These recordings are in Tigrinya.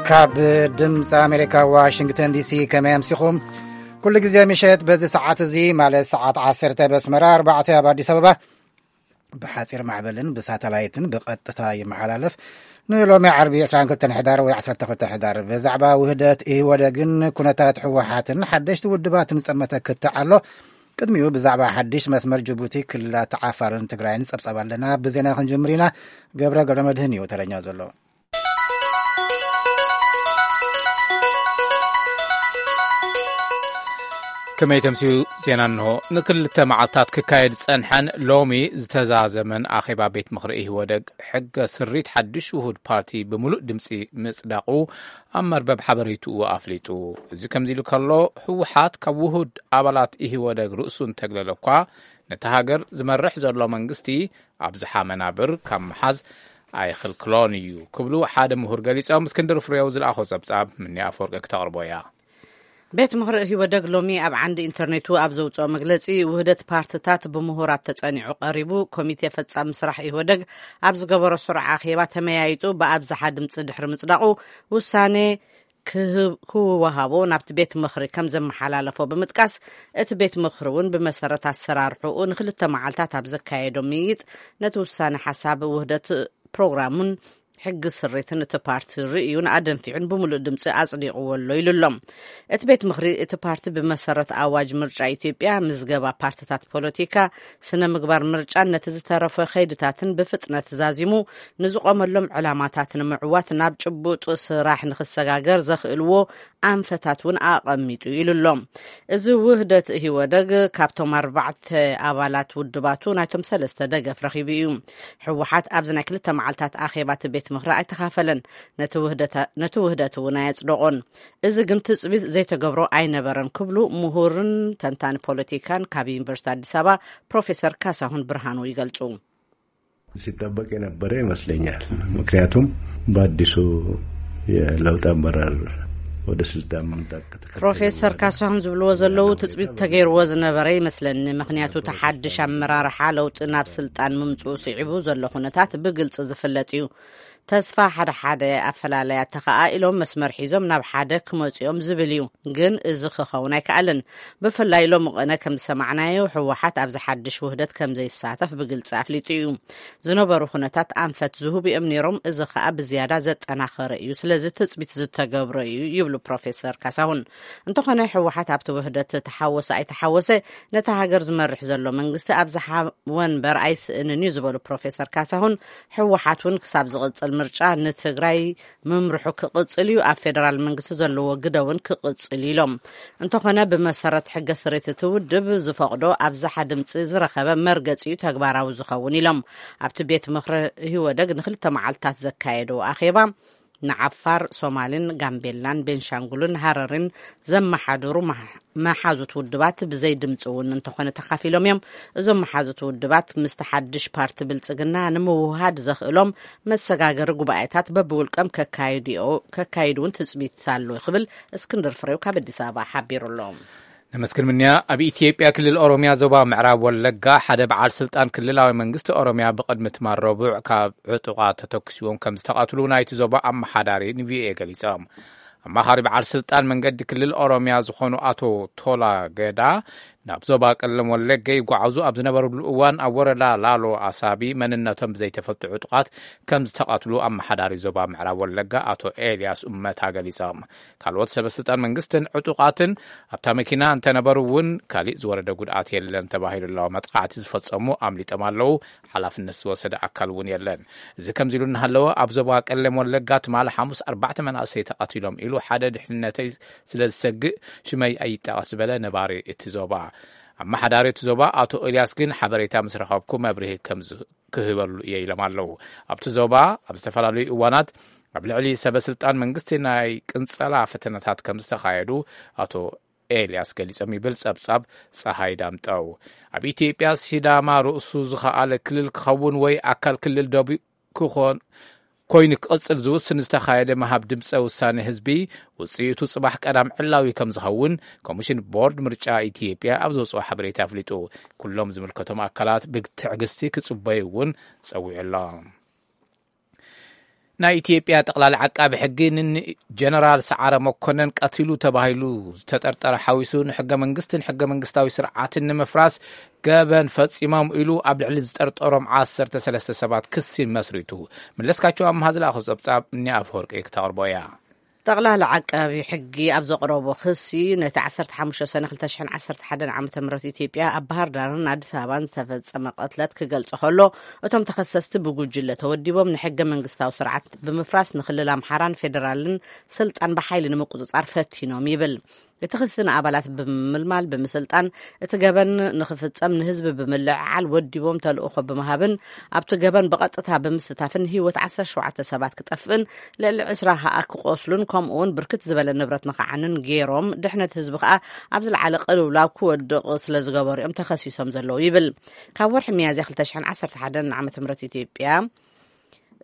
ካብ ድምፂ ኣሜሪካ ዋሽንግተን ዲሲ፣ ከመይ ኣምሲኹም? ኩሉ ግዜ ምሸት በዚ ሰዓት እዚ፣ ማለት ሰዓት ዓሰርተ በስመራ፣ ኣርባዕተ ኣብ ኣዲስ ኣበባ፣ ብሓፂር ማዕበልን ብሳተላይትን ብቐጥታ ይመሓላለፍ። ንሎሚ ዓርቢ ዕስራን ክልተን ሕዳር ወይ ዓሰርተ ክልተ ሕዳር፣ ብዛዕባ ውህደት ኢህወደግን ኩነታት ህወሓትን ሓደሽቲ ውድባትን ዝጠመተ ክትዕ ኣሎ። ቅድሚኡ ብዛዕባ ሓድሽ መስመር ጅቡቲ፣ ክልላት ዓፋርን ትግራይን ጸብጻብ ኣለና። ብዜና ክንጅምር ኢና። ገብረ ገብረ መድህን እዩ ተረኛ ዘሎ። ከመይ ተምስዩ? ዜና እንሆ። ንክልተ መዓልታት ክካየድ ዝጸንሐን ሎሚ ዝተዛዘመን ኣኼባ ቤት ምኽሪ ኢህወደግ፣ ሕገ ስሪት ሓድሽ ውሁድ ፓርቲ ብምሉእ ድምጺ ምጽዳቑ ኣብ መርበብ ሓበሬትኡ ኣፍሊጡ። እዚ ከምዚ ኢሉ ከሎ፣ ህወሓት ካብ ውሁድ ኣባላት ኢህወደግ ርእሱ እንተግለለ እኳ፣ ነቲ ሃገር ዝመርሕ ዘሎ መንግስቲ ኣብዝሓ መናብር ካብ ምሓዝ ኣይኽልክሎን እዩ ክብሉ ሓደ ምሁር ገሊጾም። እስክንድር ፍሬው ዝለኣኾ ጸብጻብ ምኒ ኣፈወርቂ ክተቕርቦ እያ። ቤት ምኽሪ ኢህወደግ ሎሚ ኣብ ዓንዲ ኢንተርኔቱ ኣብ ዘውፅኦ መግለፂ፣ ውህደት ፓርትታት ብምሁራት ተፀኒዑ ቀሪቡ፣ ኮሚቴ ፈፃሚ ስራሕ ኢህወደግ ኣብ ዝገበሮ ስሩዕ ኣኼባ ተመያይጡ ብኣብዝሓ ድምፂ ድሕሪ ምፅዳቑ፣ ውሳኔ ክህብ-፣ ክወሃቦ ናብቲ ቤት ምኽሪ ከም ዘመሓላለፎ ብምጥቃስ፣ እቲ ቤት ምኽሪ እውን ብመሰረት ኣሰራርሕኡ ንክልተ መዓልታት ኣብ ዘካየዶ ምይይጥ፣ ነቲ ውሳኔ ሓሳብ ውህደት ፕሮግራሙን ሕጊ ስሪትን እቲ ፓርቲ ርእዩን ኣደንፊዑን ብምሉእ ድምፂ ኣፅዲቕዎ ኣሎ ኢሉ ኣሎ። እቲ ቤት ምኽሪ፣ እቲ ፓርቲ ብመሰረት ኣዋጅ ምርጫ ኢትዮጵያ፣ ምዝገባ ፓርትታት ፖለቲካ፣ ስነ ምግባር ምርጫን ነቲ ዝተረፈ ከይድታትን ብፍጥነት ዛዚሙ፣ ንዝቆመሎም ዕላማታት ንምዕዋት ናብ ጭቡጥ ስራሕ ንክሰጋገር ዘኽእልዎ ኣንፈታት እውን ኣቐሚጡ ኢሉ ኣሎ። እዚ ውህደት ኢህወደግ ካብቶም ኣርባዕተ ኣባላት ውድባቱ ናይቶም ሰለስተ ደገፍ ረኺቡ እዩ። ህወሓት ኣብዚ ናይ ክልተ መዓልታት ኣኼባ እቲ ቤት ምኽሪ ኣይተኻፈለን። ነቲ ውህደታ-፣ ነቲ ውህደት እውን ኣየጽደቖን። እዚ ግን ትጽቢት ዘይተገብሮ ኣይነበረን ክብሉ ምሁርን ተንታኒ ፖለቲካን ካብ ዩኒቨርሲቲ ኣዲስ ኣበባ ፕሮፌሰር ካሳሁን ብርሃኑ ይገልጹ። ሲጠበቅ የነበረ ይመስለኛል። ምክንያቱም በአዲሱ የለውጥ አመራር ወደ ስልጣን መምጣት ከተከተለ ፕሮፌሰር በኋላ ካሳሁን ዝብልዎ ዘለዉ ትጽቢት ተገይርዎ ዝነበረ ይመስለኒ። ምክንያቱ እቲ ሓድሽ ኣመራርሓ ለውጢ ናብ ስልጣን ምምጽኡ ስዒቡ ዘሎ ኩነታት ብግልጺ ዝፍለጥ እዩ። ተስፋ ሓደ ሓደ ኣፈላለያት ተኸኣኢሎም መስመር ሒዞም ናብ ሓደ ክመጽኦም ዝብል እዩ። ግን እዚ ክኸውን ኣይከኣልን። ብፍላይ ሎሚ ቅነ ከም ዝሰማዕናዮ፣ ህወሓት ኣብዚ ሓድሽ ውህደት ከም ዘይሳተፍ ብግልጺ ኣፍሊጡ እዩ። ዝነበሩ ኩነታት ኣንፈት ዝህቡ እዮም ነይሮም፣ እዚ ኸኣ ብዝያዳ ዘጠናኸረ እዩ። ስለዚ ትጽቢት ዝተገብሮ እዩ ይብሉ ፕሮፌሰር ካሳሁን። እንተኾነ ህወሓት ኣብቲ ውህደት ተሓወሰ ኣይተሓወሰ፣ ነታ ሃገር ዝመርሕ ዘሎ መንግስቲ ኣብዝሓ ወንበር ኣይስእንን እዩ ዝበሉ ፕሮፌሰር ካሳሁን፣ ህወሓት እውን ክሳብ ዝቕጽል ምርጫ ንትግራይ ምምርሑ ክቕጽል እዩ፣ ኣብ ፌደራል መንግስቲ ዘለዎ ግደ እውን ክቕጽል እዩ ኢሎም። እንተኾነ ብመሰረት ሕገ ስሬት እቲ ውድብ ዝፈቕዶ ኣብዝሓ ድምፂ ዝረኸበ መርገፂ እዩ ተግባራዊ ዝኸውን ኢሎም። ኣብቲ ቤት ምኽሪ ኢህወደግ ንክልተ መዓልታት ዘካየዶ ኣኼባ ንዓፋር፣ ሶማልን፣ ጋምቤላን፣ ቤንሻንጉልን ሃረሪን ዘመሓድሩ መሓ-፣ መሓዙት ውድባት ብዘይ ድምፂ እውን እንተኾነ ተኻፊሎም እዮም። እዞም መሓዙት ውድባት ምስቲ ሓድሽ ፓርቲ ብልፅግና ንምውሃድ ዘኽእሎም መሰጋገሪ ጉባኤታት በብውልቀም ከካይዱ-፣ ከካይዱ እውን ትፅቢት ኣሎ ክብል እስክንድር ፍሬው ካብ ኣዲስ ኣበባ ሓቢሩ ኣሎ። ነመስግን ምንያ። ኣብ ኢትዮጵያ ክልል ኦሮሚያ ዞባ ምዕራብ ወለጋ ሓደ በዓል ስልጣን ክልላዊ መንግስቲ ኦሮሚያ ብቕድሚ ትማል ረቡዕ ካብ ዕጡቓት ተተኩሲዎም ከም ዝተቐትሉ ናይቲ ዞባ ኣመሓዳሪ ንቪኦኤ ገሊጾም። ኣማኻሪ በዓል ስልጣን መንገዲ ክልል ኦሮሚያ ዝኾኑ ኣቶ ቶላ ገዳ ናብ ዞባ ቀለም ወለጋ ይጓዓዙ ኣብ ዝነበሩሉ እዋን ኣብ ወረዳ ላሎ ኣሳቢ መንነቶም ብዘይተፈልጡ ዕጡቓት ከም ዝተቐትሉ ኣመሓዳሪ ዞባ ምዕራብ ወለጋ ኣቶ ኤልያስ ኡመታ ገሊጾም። ካልኦት ሰበ ስልጣን መንግስትን ዕጡቓትን ኣብታ መኪና እንተነበሩ እውን ካሊእ ዝወረደ ጉድኣት የለን ተባሂሉ ኣሎ። መጥቃዕቲ ዝፈጸሙ ኣምሊጦም ኣለዉ፣ ሓላፍነት ዝወሰደ ኣካል እውን የለን። እዚ ከምዚ ኢሉ እናሃለወ ኣብ ዞባ ቀለም ወለጋ ትማሊ ሓሙስ ኣርባዕተ መናእሰይ ተቐቲሎም ኢሉ ሓደ ድሕንነተይ ስለ ዝሰግእ ሽመይ ኣይጠቐስ ዝበለ ነባሪ እቲ ዞባ። ኣመሓዳሪ እቲ ዞባ ኣቶ ኤልያስ ግን ሓበሬታ ምስ ረኸብኩ መብርሂ ከም ዝ-፣ ክህበሉ እየ ኢሎም ኣለዉ። ኣብቲ ዞባ ኣብ ዝተፈላለዩ እዋናት ኣብ ልዕሊ ሰበ ስልጣን መንግስቲ ናይ ቅንጸላ ፈተነታት ከም ዝተኻየዱ ኣቶ ኤልያስ ገሊጾም ይብል ጸብጻብ ጸሃይ ዳምጠው። ኣብ ኢትዮጵያ ሲዳማ ርእሱ ዝኸኣለ ክልል ክኸውን ወይ ኣካል ክልል ደቡብ ክኾን ኮይኑ ክቕጽል ዝውስን ዝተኻየደ ምሃብ ድምፀ ውሳኔ ህዝቢ ውፅኢቱ ጽባሕ ቀዳም ዕላዊ ከም ዝኸውን ኮሚሽን ቦርድ ምርጫ ኢትዮጵያ ኣብ ዘውፅኦ ሓበሬታ ኣፍሊጡ። ኩሎም ዝምልከቶም ኣካላት ብትዕግስቲ ክጽበዩ እውን ጸዊዑ ኣሎ። ናይ ኢትዮጵያ ጠቕላሊ ዓቃቢ ሕጊ ንጀነራል ሰዓረ መኮነን ቀቲሉ ተባሂሉ ዝተጠርጠረ ሓዊሱ ንሕገ መንግስትን ሕገ መንግስታዊ ስርዓትን ንምፍራስ ገበን ፈጺሞም ኢሉ ኣብ ልዕሊ ዝጠርጠሮም ዓሰርተ ሰለስተ ሰባት ክሲ መስሪቱ። መለስካቸው ኣምሃ ዝለኣኾ ጸብጻብ እኒ ኣፈወርቂ ክተቕርቦ እያ። ጠቕላሊ ዓቃቢ ሕጊ ኣብ ዘቕረቦ ክሲ ነቲ ዓሰርተ ሓሙሽተ ሰነ ክልተ ሽሕን ዓሰርተ ሓደን ዓመተ ምህረት ኢትዮጵያ ኣብ ባህር ዳርን ኣዲስ ኣበባን ዝተፈጸመ ቅትለት ክገልጾ ከሎ፣ እቶም ተኸሰስቲ ብጉጅለ ተወዲቦም ንሕገ መንግስታዊ ስርዓት ብምፍራስ ንክልል ኣምሓራን ፌደራልን ስልጣን ብሓይሊ ንምቁጽጻር ፈቲኖም ይብል። እቲ ክሲ ንኣባላት ብምምልማል ብምስልጣን እቲ ገበን ንክፍጸም ንህዝቢ ብምልዕዓል ወዲቦም ተልእኾ ብምሃብን ኣብቲ ገበን ብቐጥታ ብምስታፍን ህይወት ዓሰርተ ሸውዓተ ሰባት ክጠፍእን ልዕሊ ዕስራ ከኣ ክቆስሉን ከምኡ እውን ብርክት ዝበለ ንብረት ንክዓንን ገይሮም ድሕነት ህዝቢ ከኣ ኣብ ዝለዓለ ቅልውላው ክወድቕ ስለ ዝገበሩ እዮም ተኸሲሶም ዘለዉ ይብል። ካብ ወርሒ ሚያዝያ ክልተ ሽሕን ዓሰርተ ሓደን ዓመተ ምህረት ኢትዮጵያ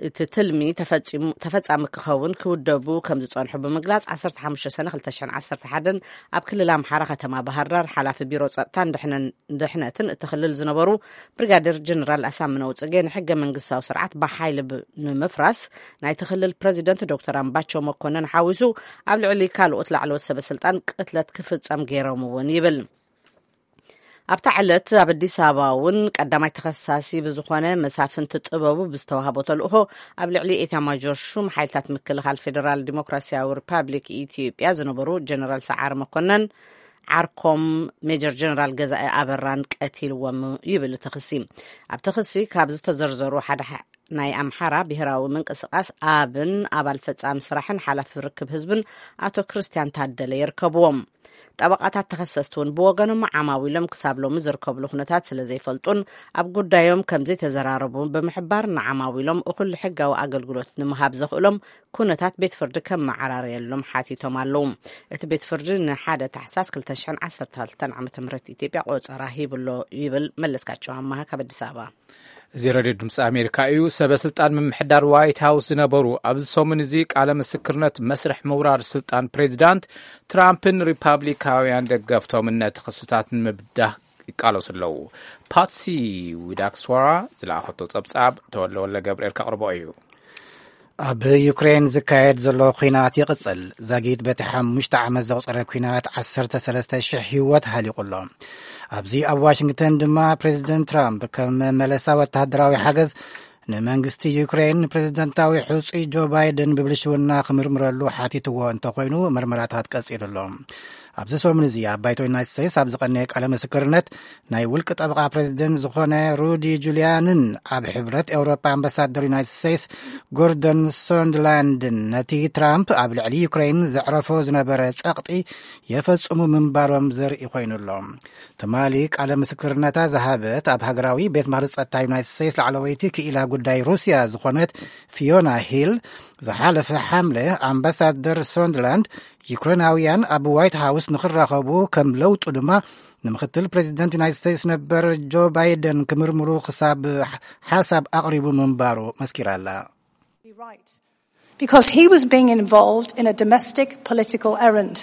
እቲ ትልሚ ተፈጺሙ- ተፈጻሚ ክኸውን ክውደቡ ከም ዝጸንሑ ብምግላጽ ዓሰርተ ሓሙሽተ ሰነ ክልተ ሽሕን ዓሰርተ ሓደን ኣብ ክልል ኣምሓራ ከተማ ባህር ዳር ሓላፊ ቢሮ ጸጥታን ድሕነን- ድሕነትን እቲ ክልል ዝነበሩ ብሪጋዴር ጀነራል ኣሳምነው ጽጌ ንሕገ መንግስታዊ ስርዓት ብሓይሊ ብ- ንምፍራስ ናይቲ ክልል ፕረዚደንት ዶክተር ኣምባቸው መኮነን ሓዊሱ ኣብ ልዕሊ ካልኦት ላዕለዎት ሰበ ስልጣን ቅትለት ክፍጸም ገይሮም እውን ይብል። ኣብታ ዕለት ኣብ ኣዲስ ኣበባ እውን ቀዳማይ ተኸሳሲ ብዝኾነ መሳፍንቲ ጥበቡ ብዝተዋህቦ ተልእኾ ኣብ ልዕሊ ኤታማዦር ሹም ሓይልታት ምክልኻል ፌደራል ዲሞክራሲያዊ ሪፓብሊክ ኢትዮጵያ ዝነበሩ ጀነራል ሰዓረ መኮነን ዓርኮም ሜጀር ጀነራል ገዛኢ ኣበራን ቀቲልዎም ይብል እቲ ክሲ። ኣብቲ ክሲ ካብ ዝተዘርዘሩ ሓደ ናይ ኣምሓራ ብሄራዊ ምንቅስቃስ ኣብን ኣባል ፈጻሚ ስራሕን ሓላፊ ርክብ ህዝብን ኣቶ ክርስቲያን ታደለ ይርከብዎም። ጠበቃታት ተኸሰስቲ እውን ብወገኖም ዓማዊሎም ክሳብ ሎሚ ዝርከብሉ ኩነታት ስለ ዘይፈልጡን ኣብ ጉዳዮም ከም ዘይተዘራረቡ ብምሕባር ንዓማዊሎም እኹል ሕጋዊ ኣገልግሎት ንምሃብ ዘኽእሎም ኩነታት ቤት ፍርዲ ከመዓራርየሎም ሓቲቶም ኣለዉ። እቲ ቤት ፍርዲ ንሓደ ታሕሳስ ክልተ ሽሕን ዓሰርተ ክልተን ዓመተ ምህረት ኢትዮጵያ ቆጸራ ሂብሎ ይብል መለስካቸው ኣማሃ ካብ ኣዲስ ኣበባ። እዚ ሬድዮ ድምፂ ኣሜሪካ እዩ። ሰበ ስልጣን ምምሕዳር ዋይት ሃውስ ዝነበሩ ኣብዚ ሰሙን እዚ ቃለ ምስክርነት መስርሕ ምውራድ ስልጣን ፕሬዚዳንት ትራምፕን ሪፓብሊካውያን ደገፍቶምን ነቲ ክስታት ንምብዳህ ይቃለሱ ኣለዉ። ፓትሲ ዊዳክስዋራ ዝለኣኸቶ ጸብጻብ ተወለ ወለ ገብርኤል ከቕርቦ እዩ። ኣብ ዩክሬን ዝካየድ ዘሎ ኲናት ይቕጽል። ዛጊት በቲ ሓሙሽተ ዓመት ዘቑጸረ ኲናት ዓሰርተ ሰለስተ ሽሕ ህይወት ሃሊቑ ኣሎ። ኣብዚ ኣብ ዋሽንግተን ድማ ፕሬዚደንት ትራምፕ ከም መመለሳ ወተሃደራዊ ሓገዝ ንመንግስቲ ዩክሬን ንፕሬዚደንታዊ ሕጹይ ጆ ባይደን ብብልሽውና ክምርምረሉ ሓቲትዎ እንተኾይኑ፣ መርመራታት ቀጺሉ ኣሎ። ኣብዚ ሰሙን እዚ ኣብ ባይቶ ዩናይትድ ስቴትስ ኣብ ዝቐነየ ቃለ ምስክርነት ናይ ውልቂ ጠበቓ ፕሬዚደንት ዝኾነ ሩዲ ጁልያንን ኣብ ሕብረት ኤውሮጳ ኣምባሳደር ዩናይትድ ስቴትስ ጎርደን ሶንድላንድን ነቲ ትራምፕ ኣብ ልዕሊ ዩክሬን ዘዕረፎ ዝነበረ ጸቕጢ የፈጽሙ ምንባሮም ዘርኢ ኮይኑ ኣሎ። ትማሊ ቃለ ምስክርነታ ዝሃበት ኣብ ሃገራዊ ቤት ምኽሪ ጸጥታ ዩናይትድ ስቴትስ ላዕለወይቲ ክኢላ ጉዳይ ሩስያ ዝኾነት ፊዮና ሂል፣ ዝሓለፈ ሓምለ ኣምባሳደር ሶንድላንድ ዩክሬናውያን ኣብ ዋይት ሃውስ ንኽራኸቡ ከም ለውጡ ድማ ንምክትል ፕሬዚደንት ዩናይትድ ስቴትስ ነበር ጆ ባይደን ክምርምሩ ክሳብ ሓሳብ ኣቕሪቡ ምንባሩ መስኪራ ኣላ። Because he was being involved in a domestic political errand.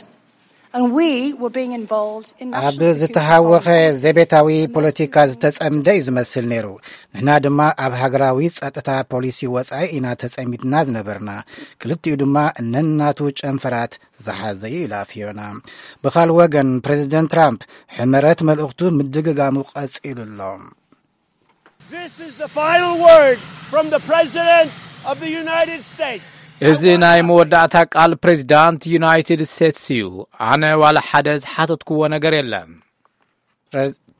And we were being involved in ኣብ national security ዝተሃወኸ politics. ዘቤታዊ ፖለቲካ ዝተጸምደ እዩ ዝመስል ነይሩ። ንሕና ድማ ኣብ ሃገራዊ ጸጥታ ፖሊሲ ወጻኢ ኢና ተጸሚድና ዝነበርና። ክልቲኡ ድማ ነናቱ ጨንፈራት ዝሓዘ እዩ ኢላ ፊዮና። ብኻል ወገን ፕሬዚደንት ትራምፕ ሕመረት መልእኽቱ ምድግጋሙ ቀጺሉ ኣሎ። This is the final word from the President of the United States. እዚ ናይ መወዳእታ ቃል ፕሬዚዳንት ዩናይትድ ስቴትስ እዩ። ኣነ ዋላ ሓደ ዝሓተትክዎ ነገር የለን።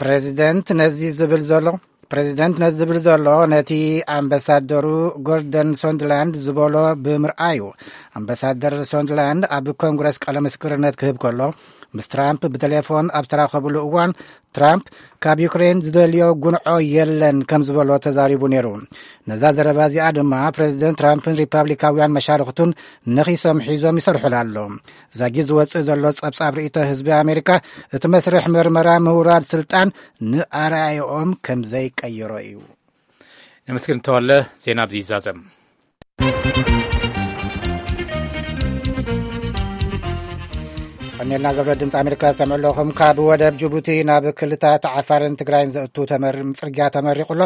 ፕሬዚደንት ነዚ ዝብል ዘሎ ፕሬዚደንት ነዚ ዝብል ዘሎ ነቲ ኣምባሳደሩ ጎርደን ሶንድላንድ ዝበሎ ብምርኣዩ። ኣምባሳደር ሶንድላንድ ኣብ ኮንግረስ ቃለ ምስክርነት ክህብ ከሎ፣ ምስ ትራምፕ ብቴሌፎን ኣብ ተራኸብሉ እዋን፣ ትራምፕ ካብ ዩክሬን ዝደልዮ ጉንዖ የለን ከም ዝበሎ ተዛሪቡ ነይሩ። ነዛ ዘረባ እዚኣ ድማ ፕሬዚደንት ትራምፕን ሪፓብሊካውያን መሻርኽቱን ነኺሶም ሒዞም ይሰርሑላ ኣሎ። ዛጊት ዝወፅእ ዘሎ ጸብጻብ ርእይቶ ህዝቢ ኣሜሪካ፣ እቲ መስርሕ መርመራ ምውራድ ስልጣን ንኣረኣዮኦም ከም ዘይቀይሮ እዩ። ነመስግን ተወለ። ዜና ኣብዚ ይዛዘም። ቀኒልና ገብረ ድምፂ ኣሜሪካ ዝሰምዑ ኣለኹም። ካብ ወደብ ጅቡቲ ናብ ክልታት ዓፋርን ትግራይን ዘእቱ ተመር-፣ ፅርግያ ተመሪቑ ኣሎ።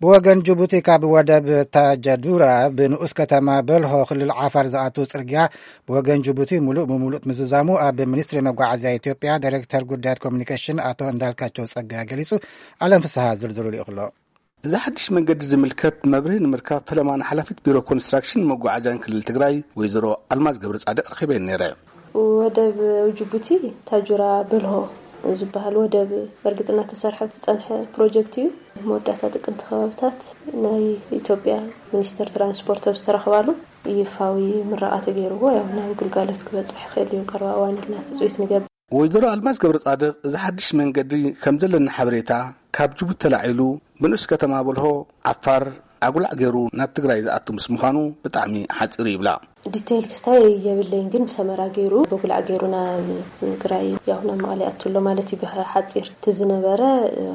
ብወገን ጅቡቲ ካብ ወደብ ታጀዱራ ብንኡስ ከተማ በልሆ ክልል ዓፋር ዝኣቱ ፅርግያ ብወገን ጅቡቲ ሙሉእ ብሙሉእ ምዝዛሙ ኣብ ሚኒስትሪ መጓዓዝያ ኢትዮጵያ ዳይሬክተር ጉዳያት ኮሚኒኬሽን ኣቶ እንዳልካቸው ጸጋይ ገሊጹ። ኣለም ፍስሃ ዝርዝሩ ልኢኹ ኣሎ። እዚ ሓድሽ መንገዲ ዝምልከት መብርሂ ንምርካብ ፈለማ ንሓላፊት ቢሮ ኮንስትራክሽን መጓዓዝያን ክልል ትግራይ ወይዘሮ ኣልማዝ ገብረ ጻድቕ ረኺበን ነይረ። ወደብ ጅቡቲ ታጁራ በልሆ ዝበሃል ወደብ በርግጽ እናተሰርሐ ዝጸንሐ ፕሮጀክት እዩ። መወዳእታ ጥቅምቲ ከባብታት ናይ ኢትዮጵያ ሚኒስትር ትራንስፖርት ኣብ ዝተረኽባሉ ይፋዊ ምረቓ ተገይርዎ፣ ያው ናብ ግልጋሎት ክበጽሕ ይኽእል እዩ ቀረባ እዋን ኢልና ትጽቢት ንገብር። ወይዘሮ ኣልማዝ ገብረ ጻድቕ፣ እዚ ሓድሽ መንገዲ ከም ዘለና ሓበሬታ ካብ ጅቡቲ ተላዒሉ ብንኡስ ከተማ በልሆ ዓፋር ኣጉላዕ ገይሩ ናብ ትግራይ ዝኣቱ ምስ ምዃኑ ብጣዕሚ ሓጺሩ ይብላ። ዲቴይል ክስታይ የብለይን፣ ግን ብሰመራ ገይሩ፣ በጉላዕ ገይሩ ናብ ትግራይ፣ ያው ናብ መቐለ ይኣቱ ኣሎ ማለት እዩ። ብሓፂር እቲ ዝነበረ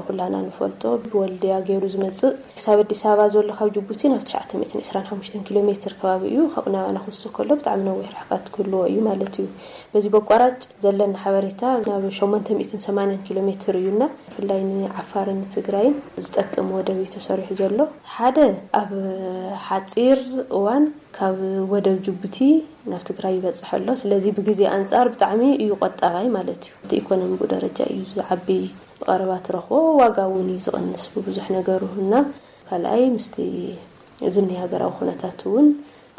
ኩላና ንፈልጦ ብወልድያ ገይሩ ዝመፅእ ክሳብ ኣዲስ ኣበባ ዘሎ ካብ ጅቡቲ ናብ ትሽዓተ ሚእትን ዕስራን ሓሙሽተን ኪሎ ሜትር ከባቢ እዩ። ካብኡ ናባና ክውስኽ ከሎ ብጣዕሚ ነዊሕ ርሕቀት ክህልዎ እዩ ማለት እዩ። በዚ በቋራጭ ዘለና ሓበሬታ ናብ ሸሞንተ ሚእትን ሰማንያን ኪሎ ሜትር እዩና፣ ብፍላይ ንዓፋርን ንትግራይን ዝጠቅም ወደብ እዩ ተሰሪሑ ዘሎ። ሓደ፣ ኣብ ሓፂር እዋን ካብ ወደብ ጅቡቲ ናብ ትግራይ ይበፅሕ ኣሎ። ስለዚ ብግዜ ኣንፃር ብጣዕሚ እዩ ቆጣባይ ማለት እዩ። እቲ ኢኮኖሚ ብኡ ደረጃ እዩ ዝዓቢ፣ ብቐረባ ትረኽቦ ዋጋ እውን እዩ ዝቕንስ ብብዙሕ ነገሩ እና ካልኣይ ምስቲ ዝኒ ሃገራዊ ኩነታት እውን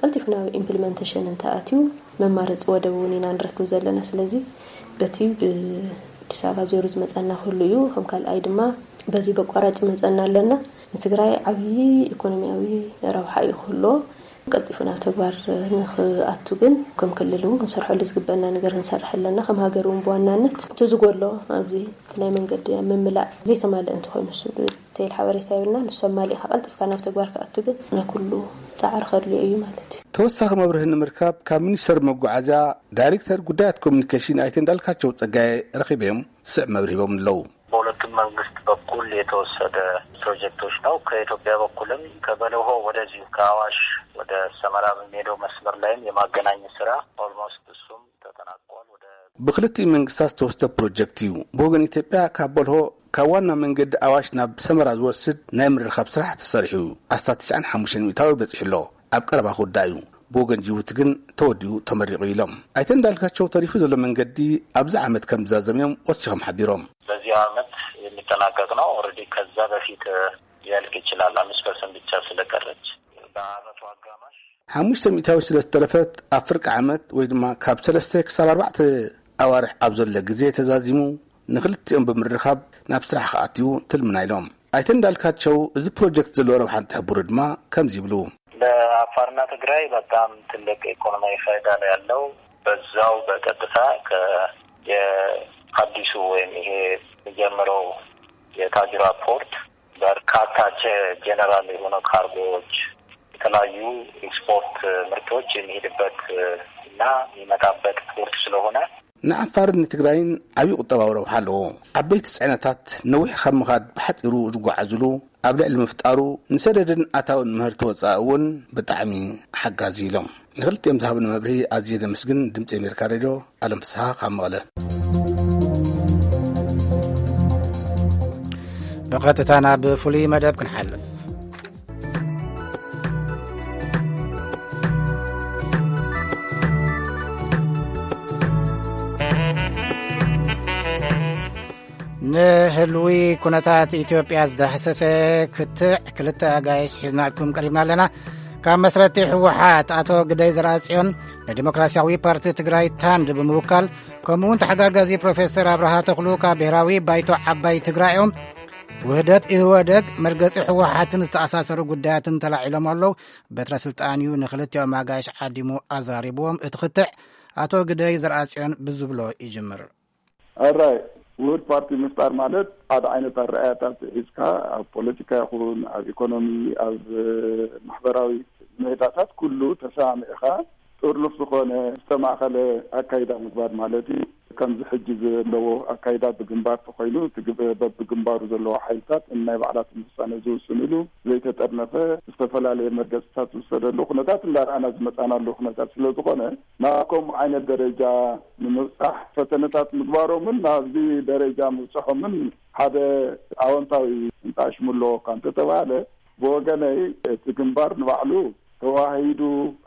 ቀልጢፉ ናብ ኢምፕሊመንቴሽን እንተኣትዩ መማረፂ ወደብ እውን ኢና ንረክብ ዘለና። ስለዚ በቲ ብኣዲስ ኣበባ ዜሩ ዝመፀና ክህሉ እዩ። ከም ካልኣይ ድማ በዚ በቋራጭ ይመፀና ኣለና። ንትግራይ ዓብዪ ኢኮኖሚያዊ ረብሓ እዩ ክህልዎ። ቀልጢፉ ናብ ተግባር ንኽኣቱ ግን ከም ክልል እውን ክንሰርሐሉ ዝግበአና ነገር ክንሰርሕ ኣለና። ከም ሃገር እውን ብዋናነት እቲ ዝጎሎ ኣብዚ እቲ ናይ መንገዲ ኣብ ምምላእ ዘይተማልአ እንተኾይኑ እሱ ዲቴይል ሓበሬታ የብልና። ንሱ ኣማሊእካ ቀልጢፍካ ናብ ተግባር ክኣቱ ግን ናይ ኩሉ ፃዕሪ ከድልዮ እዩ ማለት እዩ። ተወሳኺ መብርሂ ንምርካብ ካብ ሚኒስተር መጓዓዝያ ዳይሬክተር ጉዳያት ኮሚኒኬሽን ኣይተ እንዳልካቸው ጸጋዬ ረኺበዮም ዝስዕብ መብርሂ ሂቦም ኣለዉ። በሁለቱም መንግስት በኩል የተወሰደ ፕሮጀክቶች ነው። ከኢትዮጵያ በኩልም ከበለሆ ወደዚሁ ከአዋሽ ወደ ሰመራ በሚሄደው መስመር ላይም የማገናኘት ስራ ኦልሞስት እሱም ተጠናቋል። ወደ ብክልቲኡ መንግስታት ዝተወስደ ፕሮጀክት እዩ። ብወገን ኢትዮጵያ ካብ በልሆ ካብ ዋና መንገዲ ኣዋሽ ናብ ሰመራ ዝወስድ ናይ ምርኻብ ስራሕ ተሰሪሑ ኣስታት ትሽዓን ሓሙሽተን ሚእታዊ በጺሑ ኣሎ። ኣብ ቀረባ ክውዳእ እዩ። ብወገን ጅቡቲ ግን ተወዲኡ ተመሪቑ ኢሎም ኣይተ እንዳልካቸው ተሪፉ ዘሎ መንገዲ ኣብዚ ዓመት ከም ዝዛዘም እዮም ወሲኾም ሓቢሮም። በዚህ ዓመት የሚጠናቀቅ ነው። ኦልሬዲ ከዛ በፊት ሊያልቅ ይችላል። አምስት ፐርሰንት ብቻ ስለቀረች በአመቱ አጋማሽ ሓሙሽተ ሚእታዊ ስለ ዝተረፈት ኣብ ፍርቂ ዓመት ወይ ድማ ካብ ሰለስተ ክሳብ ኣርባዕተ ኣዋርሕ ኣብ ዘሎ ግዜ ተዛዚሙ ንክልቲኦም ብምርኻብ ናብ ስራሕ ክኣትዩ ትልምና ኢሎም። ኣይተ እንዳልካቸው እዚ ፕሮጀክት ዘለዎ ረብሓ እንትሕብሩ ድማ ከምዚ ይብሉ። ለአፋርና ትግራይ በጣም ትልቅ ኢኮኖሚያዊ ፋይዳ ነው ያለው። በዛው በቀጥታ ከ-፣ የአዲሱ ወይም ይሄ የሚጀምረው የታጅራ ፖርት በርካታ ጀ-፣ ጀነራል የሆነ ካርጎዎች፣ የተለያዩ ኤክስፖርት ምርቶች የሚሄድበት እና የሚመጣበት ፖርት ስለሆነ ንዓፋርን ንትግራይን ዓብዪ ቁጠባዊ ረብሓ ኣለዎ። ዓበይቲ ፅዕነታት ነዊሕ ካብ ምኻድ ብሓፂሩ ዝጓዓዙሉ ኣብ ልዕሊ ምፍጣሩ ንሰደድን ኣታውን ምህርቲ ወፃኢ እውን ብጣዕሚ ሓጋዚ ኢሎም። ንክልቲኦም ዝሃብኒ መብርሂ ኣዝየ ዘመስግን። ድምፂ ኣሜሪካ ሬድዮ፣ ኣለም ፍስሃ ካብ መቐለ። ብቐጥታ ናብ ፍሉይ መደብ ክንሓልፍ። ንህልዊ ኩነታት ኢትዮጵያ ዝዳህሰሰ ክትዕ ክልተ ኣጋይሽ ሒዝናልኩም ቀሪብና ኣለና። ካብ መስረቲ ህወሓት ኣቶ ግደይ ዘርኣጽዮን ንዲሞክራሲያዊ ፓርቲ ትግራይ ታንድ ብምውካል፣ ከምኡውን ተሓጋጋዚ ፕሮፌሰር ኣብርሃ ተኽሉ ካብ ብሔራዊ ባይቶ ዓባይ ትግራይ እዮም። ውህደት ኢህወደግ፣ መርገጺ ህወሓትን ዝተኣሳሰሩ ጉዳያትን ተላዒሎም ኣለዉ። በትረ ስልጣን እዩ ንክልቲኦም ኣጋይሽ ዓዲሙ ኣዛሪብዎም። እቲ ክትዕ ኣቶ ግደይ ዘርኣጽዮን ብዝብሎ ይጅምር። ኣራይ፣ ውህድ ፓርቲ ምፍጣር ማለት ሓደ ዓይነት ኣረኣያታት ሒዝካ ኣብ ፖለቲካ ይኹን ኣብ ኢኮኖሚ፣ ኣብ ማሕበራዊ ምህዳታት ኩሉ ተሰማሚዕካ ጥርኑፍ ዝኾነ ዝተማእኸለ ኣካይዳ ምግባር ማለት እዩ። ከምዚ ሕጂ ዘለዎ ኣካይዳ ብግንባር ተኾይኑ፣ እቲ ግብ-፣ በብግንባሩ ዘለዉ ሓይልታት ናይ ባዕላቶም ውሳነ ዝውስንሉ፣ ዘይተጠርነፈ ዝተፈላለየ መርገጽታት ዝውሰደሉ ኩነታት እንዳረኣና ዝመጻናሉ ኩነታት ስለ ዝኾነ፣ ናብ ከምኡ ዓይነት ደረጃ ንምብጻሕ ፈተነታት ምግባሮምን ናብዚ ደረጃ ምብጽሖምን ሓደ ኣወንታዊ እንጣሽሙ ኣለዎ እኳ እንተተባሃለ፣ ብወገነይ እቲ ግንባር ንባዕሉ ተዋሂዱ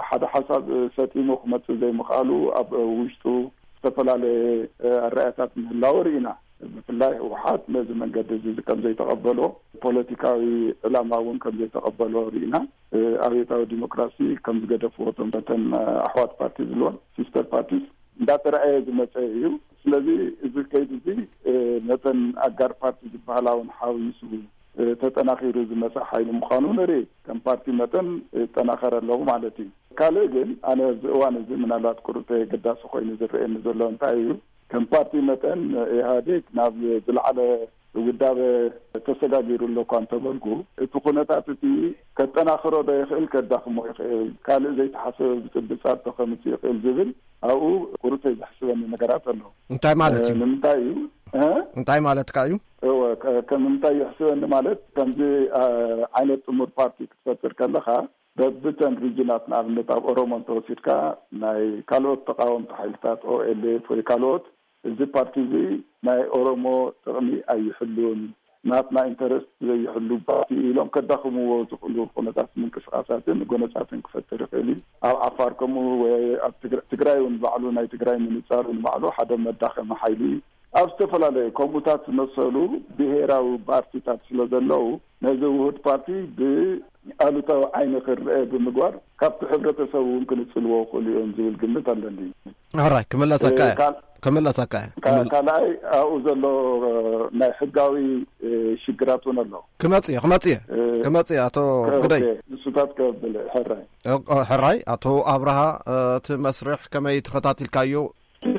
ሓደ ሓሳብ ሰጢሙ ክመጽእ ዘይምኽኣሉ፣ ኣብ ውሽጡ ዝተፈላለየ ኣረኣእያታት ምህላው ርኢና። ብፍላይ ህወሓት ነዚ መንገዲ እዚ ከም ዘይተቐበሎ፣ ፖለቲካዊ ዕላማ እውን ከም ዘይተቐበሎ ርኢና። ኣብዮታዊ ዲሞክራሲ ከም ዝገደፍዎ እቶም፣ እተን ኣሕዋት ፓርቲ ዝብልወን፣ ሲስተር ፓርቲስ፣ እንዳተረኣየ ዝመጸ እዩ። ስለዚ እዚ ከይዲ እዚ ነተን ኣጋር ፓርቲ ዝበሃላ እውን ሓዊሱ ተጠናኺሩ ዝመጸ ሓይሊ ምዃኑ ንርኢ። ከም ፓርቲ መጠን ይጠናኸር ኣሎ ማለት እዩ። ካልእ ግን ኣነ ኣብዚ እዋን እዚ ምናልባት ቁሩብ ኣገዳሲ ኮይኑ ዝረኣየኒ ዘሎ እንታይ እዩ፣ ከም ፓርቲ መጠን ኢህኣዴግ ናብ ዝለዓለ ውዳበ ተሰጋጊሩ ኣሎ እኳ እንተበልኩ፣ እቲ ኩነታት እቲ ከጠናኽሮ ዶ ይኽእል፣ ከዳኽሞ ይኽእል፣ ካልእ ዘይተሓሰበ ብጽብጻብ ተኸምጽእ ይኽእል ዝብል ኣብኡ ቁሩብ ዘሕስበኒ ነገራት ኣሎ። እንታይ ማለት እዩ? ንምንታይ እዩ? እ? እንታይ ማለትካ እዩ? እወ፣ ከ-፣ ከምንታይ ይሕስበኒ ማለት፣ ከምዚ፣ አ፣ ዓይነት ጥሙር ፓርቲ ክትፈጥር ከለኻ፣ በብተን ሪጅናት፣ ንኣብነት ኣብ ኦሮሞ እንተወሲድካ፣ ናይ ካልኦት ተቃወምቲ ሓይልታት፣ ኦኤልኤፍ ወይ ካልኦት፣ እዚ ፓርቲ እዚ ናይ ኦሮሞ ጥቕሚ ኣይሕሉን፣ ናትና ኢንተረስት ዘይሕሉ ፓርቲ ኢሎም ከዳኽምዎ ዝኽእሉ ኩነታት ምንቅስቃሳትን ጎነጻትን ክፈጥር ይኽእል እዩ። ኣብ ዓፋር ከምኡ፣ ወይ ኣብ ትግራ-፣ ትግራይ እውን ባዕሉ፣ ናይ ትግራይ ምንጻሩ ንባዕሉ ሓደ መዳኸሚ ሓይሊ እዩ። ኣብ ዝተፈላለዩ ከምኡታት ዝመሰሉ ብሄራዊ ፓርቲታት ስለ ዘለዉ፣ ነዚ ውሁድ ፓርቲ ብኣሉታዊ ዓይኒ ክረአ ብምግባር፣ ካብቲ ሕብረተሰብ እውን ክንጽልዎ ይኽእሉ እዮም ዝብል ግምት ኣለኒ። ሕራይ፣ ክምለሰካ እየ። ካል-፣ ክምለሰካ እየ። ካ-፣ ክምል-፣ ካልኣይ፣ ኣብኡ ዘሎ ናይ ሕጋዊ፣ እ፣ ሽግራት እውን ኣሎ። ክመጽእ እየ፣ ክመጽእ እየ፣ እ፣ ክመጽእ እየ፣ ኣቶ ከ-፣ ግደይ። ኦኬ፣ ንሱታት ከብል፣ ሕራይ። ኦ፣ ኦ፣ ሕራይ፣ ኣቶ ኣብርሃ፣ እ፣ እቲ መስርሕ ከመይ ተኸታቲልካዮ?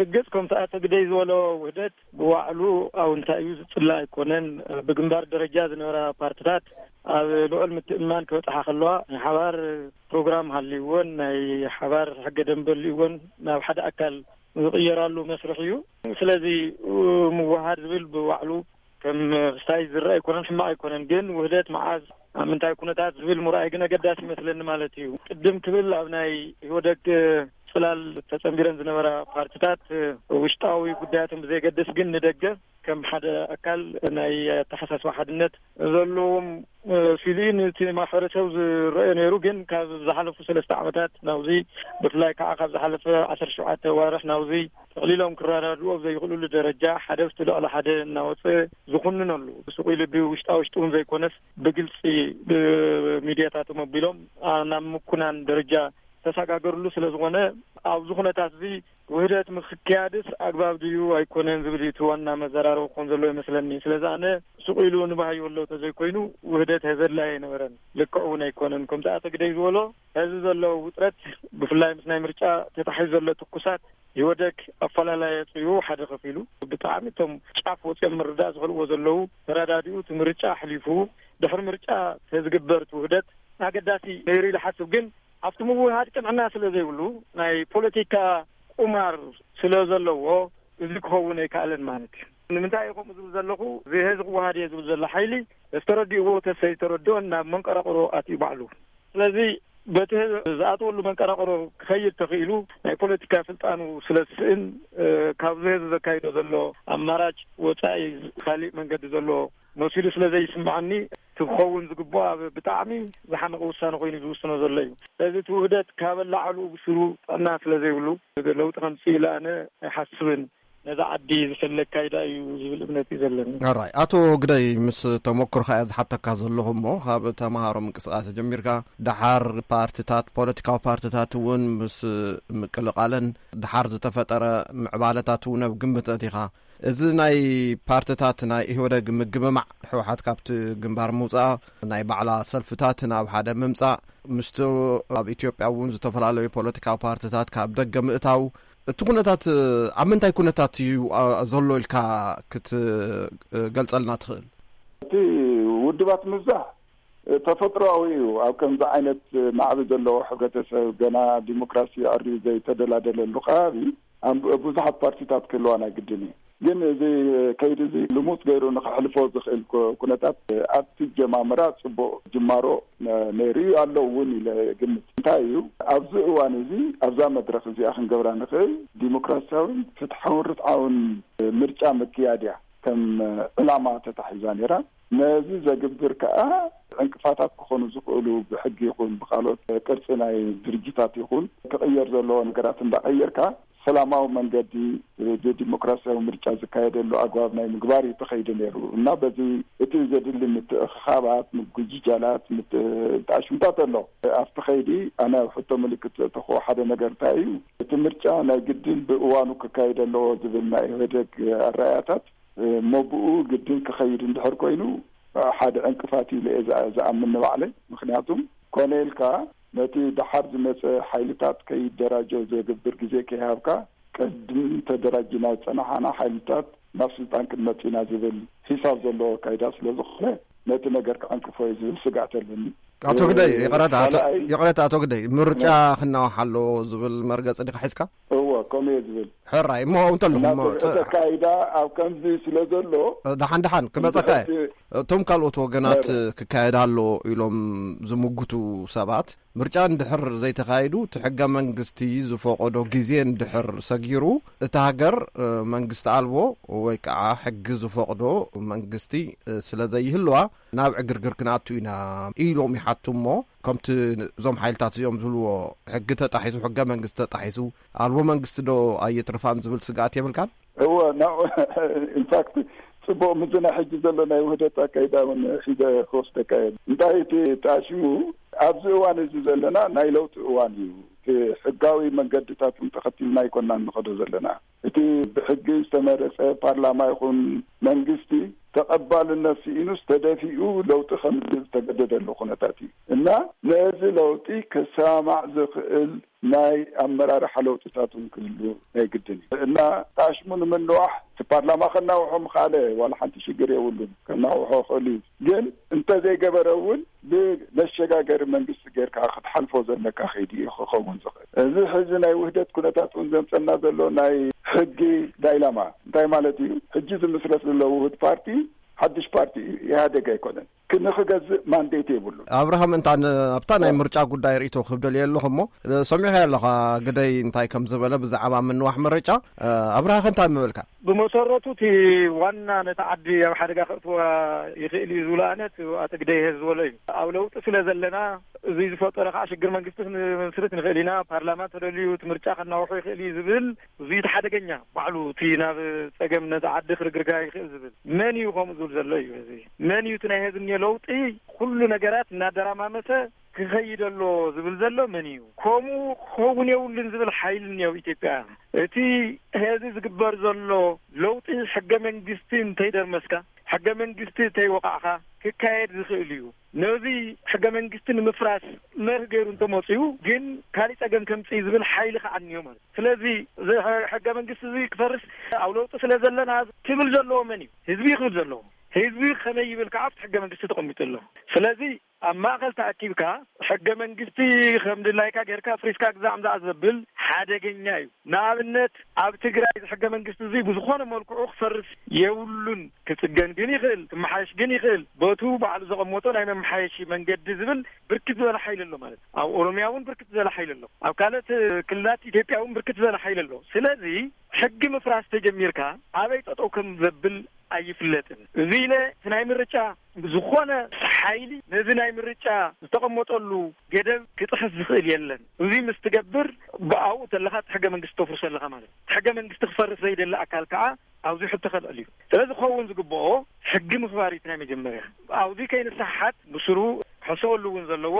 ርግጽ፣ ከምቲ ኣቶ ግደይ ዝበሎ፣ ውህደት ብባዕሉ ኣውንታ እዩ፣ ዝጽላእ ኣይኮነን። ብግንባር ደረጃ ዝነበራ ፓርትታት ኣብ ልዑል ምትእምማን ክበጽሓ ከለዋ፣ ናይ ሓባር ፕሮግራም ሃልይወን፣ ናይ ሓባር ሕገ ደንበ ሃልይወን፣ ናብ ሓደ ኣካል ዝቕየራሉ መስርሕ እዩ። ስለዚ፣ ምውሃድ ዝብል ብባዕሉ ከም ክስታይ ዝረአ ኣይኮነን፣ ሕማቕ ኣይኮነን። ግን ውህደት መዓዝ፣ ኣብ ምንታይ ኩነታት ዝብል ምርኣይ ግን ኣገዳሲ ይመስለኒ ማለት እዩ። ቅድም ክብል ኣብ ናይ ኢህወደግ ጽላል ተጸንቢረን ዝነበራ ፓርትታት ውሽጣዊ ጉዳያቶም ብዘየገድስ፣ ግን ንደገ ከም ሓደ ኣካል ናይ ኣተሓሳስባ ሓድነት ዘለዎም፣ እ፣ ሲሉ ነቲ ማሕበረሰብ ዝረአ ነይሩ። ግን ካብ ዝሓለፉ ሰለስተ ዓመታት ናብዚ፣ ብፍላይ ከዓ ካብ ዝሓለፈ ዓሰርተ ሸውዓተ ዋርሕ ናብዚ፣ ጠቕሊሎም ክረዳድኡ ኣብ ዘይኽእሉሉ ደረጃ፣ ሓደ ኣብቲ ልዕሊ ሓደ እናወፀ ዝኹንነሉ፣ ስቕ ኢሉ ብውሽጣ ውሽጡ እውን ዘይኮነስ፣ ብግልፂ ብሚድያታቶም ኣቢሎም፣ ኣ፣ ናብ ምኩናን ደረጃ ተሰጋገርሉ ስለ ዝኾነ፣ ኣብዚ ኩነታት እዚ ውህደት ምክያድስ ኣግባብ ድዩ ኣይኮነን ዝብል እዩ እቲ ዋና መዘራረቢ ክኾን ዘለዎ ይመስለኒ። ስለዚ ኣነ ስቕ ኢሉ ንባህዮ ኣሎ ተዘይኮይኑ፣ ውህደት ዘድላይ ኣይነበረን፣ ልክዕ እውን ኣይኮነን። ከምቲ ኣቶ ግደይ ዝበሎ፣ ሕዚ ዘሎ ውጥረት፣ ብፍላይ ምስ ናይ ምርጫ ተታሒዙ ዘሎ ትኩሳት፣ ኢህወደግ ኣፈላላይ ኣፅዩ፣ ሓደ ከፊሉ ብጣዕሚ እቶም ጫፍ ወፂኦም ምርዳእ ዝኽእልዎ ዘለዉ ተረዳዲኡ፣ እቲ ምርጫ ኣሕሊፉ፣ ድሕሪ ምርጫ ተዝግበር እቲ ውህደት ኣገዳሲ ነይሩ ኢለ ሓስብ። ግን ኣብቲ ምውህሃድ ቅንዕና ስለ ዘይብሉ፣ ናይ ፖለቲካ ቁማር ስለ ዘለዎ፣ እዚ ክኸውን ኣይከኣለን ማለት እዩ። ንምንታይ እየ ከምኡ ዝብል ዘለኹ? እዚ ህዝቢ ክወሃድ እየ ዝብል ዘሎ ሓይሊ፣ ዝተረዲእዎ ተሰይተረድኦን ናብ መንቀራቕሮ ኣትዩ ባዕሉ። ስለዚ በቲ ህዝቢ ዝኣተወሉ መንቀራቕሮ ክኸይድ ተኽኢሉ፣ ናይ ፖለቲካ ስልጣኑ ስለ ዝስእን፣ እ፣ ካብዚ ህዝቢ ዘካይዶ ዘሎ ኣማራጭ ወጻኢ ካሊእ መንገዲ ዘሎ መሲሉ ስለ ዘይስምዓኒ፣ እቲ ክኸውን ዝግብኦ ኣብ ብጣዕሚ ዝሓመቐ ውሳነ ኮይኑ ዝውስኖ ዘሎ እዩ። ስለዚ እቲ ውህደት ካብ ኣላዓሉ ብስሩ ጥዕና ስለ ዘይብሉ፣ ለውጢ ከምጽእ ኢለ ኣነ ኣይሓስብን። ነዛ ዓዲ ዝፈለ ኣካይዳ እዩ ዝብል እምነት እዩ ዘለኒ። ኣራይ፣ ኣቶ ግደይ፣ ምስ ተመክሮኻ እየ ዝሓተካ ዘለኹ እሞ፣ ካብ ተምሃሮ ምንቅስቃስ ጀሚርካ፣ ደሓር ፓርትታት፣ ፖለቲካዊ ፓርትታት እውን ምስ ምቅልቃለን፣ ደሓር ዝተፈጠረ ምዕባለታት እውን ኣብ ግምት ኣእቲኻ፣ እዚ ናይ ፓርትታት ናይ ኢህወደግ ምግምማዕ፣ ህወሓት ካብቲ ግንባር ምውፃእ፣ ናይ ባዕላ ሰልፍታት ናብ ሓደ ምምፃእ፣ ምስቲ ኣብ ኢትዮጵያ እውን ዝተፈላለዩ ፖለቲካዊ ፓርትታት ካብ ደገ ምእታው፣ እቲ ኩነታት ኣብ ምንታይ ኩነታት እዩ፣ አ፣ ዘሎ ኢልካ ክትገልጸልና ትኽእል? እቲ ውድባት ምብዛሕ ተፈጥሮኣዊ እዩ። ኣብ ከምዚ ዓይነት ናዕቢ ዘለዎ ሕብረተሰብ፣ ገና ዲሞክራሲ ኣዕርዩ ዘይተደላደለሉ ከባቢ፣ ኣብ ብዙሓት ፓርቲታት ክህልዋ ናይ ግድን እዩ። ግን እዚ ከይዲ እዚ ልሙስ ገይሩ ንኸሕልፎ ዝኽእል ኩ-፣ ኩነታት ኣብቲ ጀማምራ ጽቡቕ ጅማሮ ነ-፣ ነይሩ እዩ፣ ኣሎ እውን ኢለ ግምት። እንታይ እዩ ኣብዚ እዋን እዚ ኣብዛ መድረኽ እዚኣ ክንገብራ ንኽእል? ዲሞክራሲያውን ፍትሓውን ርትዓውን ምርጫ ምክያድ እያ ከም ዕላማ ተታሒዛ ነይራ። ነዚ ዘግብር ከኣ ዕንቅፋታት ክኾኑ ዝኽእሉ ብሕጊ ይኹን ብኻልኦት ቅርጺ ናይ ድርጅታት ይኹን ክቕየር ዘለዎ ነገራት እንዳቐየርካ ሰላማዊ መንገዲ ብዲሞክራሲያዊ ምርጫ ዝካየደሉ ኣግባብ ናይ ምግባር እዩ ተኸይዱ ነይሩ እና በዚ እቲ ዘድሊ ምትእኽኻባት፣ ምጉጅጃላት፣ ምት-፣ ምትኣሽምታት ኣሎ። ኣብቲ ኸይዲ ኣነ ኣብ ሕቶ ምልክት ዘእተኽዎ ሓደ ነገር እንታይ እዩ? እቲ ምርጫ ናይ ግድን ብእዋኑ ክካየድ ኣለዎ ዝብል ናይ ኢህወደግ ኣረኣያታት፣ እሞ ብኡ ግድን ክኸይድ እንድሕር ኮይኑ ሓደ ዕንቅፋት እዩ ኢለ እየ ዝኣ-፣ ዝኣምን ንባዕለይ። ምኽንያቱም ኮነ ኢልካ ነቲ ደሓር ዝመጸ ሓይልታት ከይደራጀው ዘግብር ግዜ ከይሃብካ፣ ቅድም ተደራጅና ዝጸናሓና ሓይልታት ናብ ስልጣን ክንመጽእ ኢና ዝብል ሒሳብ ዘለዎ ኣካይዳ ስለ ዝኾነ፣ ነቲ ነገር ክዕንቅፎ እዩ ዝብል ስግኣት ኣለኒ። ኣቶ ግደይ፣ እ፣ ይቕረታ፣ ኣቶ፣ ካልኣይ ይቕረታ፣ ኣቶ ግደይ፣ ምርጫ ነ- ክናዋሕ ኣለዎ ዝብል መርገጺ ዲኻ ሒዝካ? እወ፣ ከምኡ እየ ዝብል። ሕራይ፣ እሞ እንተለኹም፣ እና እሞ፣ ስርዓት ኣካይዳ ኣብ ከምዚ ስለ ዘሎ፣ ደሓን ደሓን ክመጸካ እየ። እቲ እቶም ካልኦት ወገናት ሕራይ። ክካየድ ኣሎ ኢሎም ዝምጉቱ ሰባት፣ ምርጫ እንድሕር ዘይተኻይዱ፣ እቲ ሕገ መንግስቲ ዝፈቐዶ ግዜ እንድሕር ሰጊሩ፣ እታ ሃገር፣ እ፣ መንግስቲ ኣልቦ ወይ ከዓ ሕጊ ዝፈቕዶ መንግስቲ፣ እ፣ ስለ ዘይህልዋ፣ ናብ ዕግርግር ክንኣቱ ኢና ኢሎም ይሓቱ። እሞ ከምቲ እዞም ሓይልታት እዚኦም ዝብልዎ፣ ሕጊ ተጣሒሱ፣ ሕገ መንግስቲ ተጣሒሱ፣ ኣልቦ መንግስቲ ዶ ኣየትርፋን ዝብል ስግኣት የብልካን? እወ፣ ናው-፣ ኢንፋክት፣ ጽቡቕ፣ ምስዚ ናይ ሕጂ ዘሎ ናይ ውህደት ኣካይዳ እውን ሒዘ ክወስደካ እየ። እንታይ እቲ ጣሽሙ፣ ኣብዚ እዋን እዚ ዘለና ናይ ለውጢ እዋን እዩ። እቲ ሕጋዊ መንገድታት እውን ተኸቲልና ኣይኮናን ንኸዶ ዘለና። እቲ ብሕጊ ዝተመረጸ ፓርላማ ይኹን መንግስቲ ተቐባልነት ስኢኑስ ተደፊኡ ለውጢ ከም ዝተገደደሉ ኩነታት እዩ። እና ነዚ ለውጢ ከሰማማዕ ዝኽእል ናይ ኣመራርሓ ለውጥታት እውን ክህሉ ናይ ግድን እዩ። እና ጣሽሙ ንምንዋሕ እቲ ፓርላማ ከናውሖ ምኽኣለ ዋላ ሓንቲ ሽግር የብሉን፣ ከናውሖ ይኽእል እዩ። ግን እንተዘይገበረ እውን ብመሸጋገሪ መንግስቲ ጌርካ ክትሓልፎ ዘለካ ከይዲ እዩ ክኸውን ዝኽእል። እዚ ሕዚ ናይ ውህደት ኩነታት እውን ዘምጸና ዘሎ ናይ ሕጊ ዳይላማ እንታይ ማለት እዩ? ሕጂ ዝምስረት ዘሎ ውህድ ፓርቲ ሓድሽ ፓርቲ እዩ፣ ኢህኣደግ ኣይኮነን። ክ-፣ ንኽገዝእ ማንዴት የብሉን። ኣብርሃም፣ እንታ ን-፣ ኣብታ ናይ እ። ምርጫ ጉዳይ ርእይቶ ክህብ ደልየ ኣለኹ እሞ፣ እ፣ ሰሚዐ ኣለኻ ግደይ እንታይ ከም ዝበለ ብዛዕባ ምንዋሕ ምርጫ፣ እ፣ ኣብርሃ፣ እንታይ ምበልካ? ብመሰረቱ እቲ ዋና ነቲ ዓዲ ኣብ ሓደጋ ከእትዋ ይኽእል እዩ ዝብሎ ኣነ እቲ ኣቶ ግደይ ዝበሎ እዩ። ኣብ ለውጢ ስለ ዘለና፣ እዚ ዝፈጠረ ከዓ ሽግር መንግስቲ ክንምስርት ንኽእል ኢና፣ ፓርላማ ተደልዩ እቲ ምርጫ ከናውሖ ይኽእል እዩ ዝብል እዚ እቲ ሓደገኛ ባዕሉ እቲ ናብ ጸገም ነቲ ዓዲ ክርግርጋ ይኽእል ዝብል መን እዩ ከምኡ ዝብል ዘሎ እዩ። እዚ መን እዩ እቲ ናይ ህዝቢ እኒኦ ለውጢ ኩሉ ነገራት እናደራማመሰ ክኸይድ ኣሎ ዝብል ዘሎ መን እዩ? ከምኡ ክኸውን የብሉን ዝብል ሓይሊ እኒኦ ኣብ ኢትዮጵያ። እቲ ህዝቢ ዝግበር ዘሎ ለውጢ ሕገ መንግስቲ እንተይደርመስካ፣ ሕገ መንግስቲ እንተይወቃዕካ ክካየድ ዝኽእል እዩ። ነዚ ሕገ መንግስቲ ንምፍራስ መርህ ገይሩ እንተመፅኡ ግን ካሊእ ፀገም ከምፅእ ዝብል ሓይሊ ከዓ እኒኦ ማለት እዩ። ስለዚ እዚ ሕ-፣ ሕገ መንግስቲ እዚ ክፈርስ ኣብ ለውጢ ስለ ዘለና ክብል ዘለዎ መን እዩ? ህዝቢ እዩ ክብል ዘለዎ። ህዝቢ ከመይ ይብል ከዓ ኣብቲ ሕገ መንግስቲ ተቐሚጡ ኣሎ። ስለዚ ኣብ ማእኸል ተኣኪብካ ሕገ መንግስቲ ከም ድላይካ ጌርካ ፍሪስካ ግዛዕ ምዛዕ ዘብል ሓደገኛ እዩ። ንኣብነት ኣብ ትግራይ እዚ ሕገ መንግስቲ እዚ ብዝኾነ መልክዑ ክፈርስ የብሉን። ክጽገን ግን ይኽእል፣ ክመሓየሽ ግን ይኽእል። በቱ ባዕሉ ዘቐመጦ ናይ መመሓየሺ መንገዲ ዝብል ብርክት ዝበለ ሓይሊ ኣሎ ማለት እዩ። ኣብ ኦሮሚያ እውን ብርክት ዝበለ ሓይሊ ኣሎ። ኣብ ካልኦት ክልላት ኢትዮጵያ እውን ብርክት ዝበለ ሓይሊ ኣሎ። ስለዚ ሕጊ ምፍራስ ተጀሚርካ ኣበይ ጠጠው ከም ዘብል ኣይፍለጥን። እዚ ኢለ እቲ ናይ ምርጫ ዝኾነ ሓይሊ ነዚ ናይ ምርጫ ዝተቐመጠሉ ገደብ ክጥሕስ ዝኽእል የለን። እዚ ምስ ትገብር ብኣኡ ተለኻ እቲ ሕገ መንግስቲ ተፍርሶ ኣለኻ ማለት እዩ። ሕገ መንግስቲ ክፈርስ ዘይደሊ ኣካል ከዓ ኣብዚ ሕቶ ከልዕል እዩ። ስለዚ ክኸውን ዝግብኦ ሕጊ ምኽባር እዩ እቲ ናይ መጀመርያ። ኣብዚ ከይንሰሓሓት ብስሩ ክሕሰበሉ እውን ዘለዎ